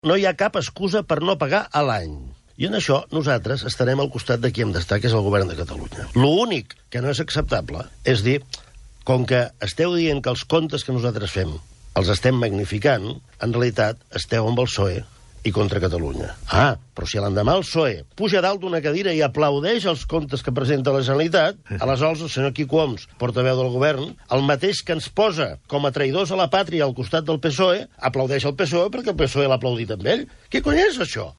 no hi ha cap excusa per no pagar a l'any. I en això nosaltres estarem al costat de qui hem d'estar, que és el govern de Catalunya. L'únic que no és acceptable és dir, com que esteu dient que els comptes que nosaltres fem els estem magnificant, en realitat esteu amb el PSOE i contra Catalunya. Però si l'endemà el PSOE puja dalt d'una cadira i aplaudeix els comptes que presenta la Generalitat, aleshores el senyor Quico Homs, portaveu del govern, el mateix que ens posa com a traïdors a la pàtria al costat del PSOE, aplaudeix el PSOE perquè el PSOE l'ha aplaudit amb ell. Què cony és això?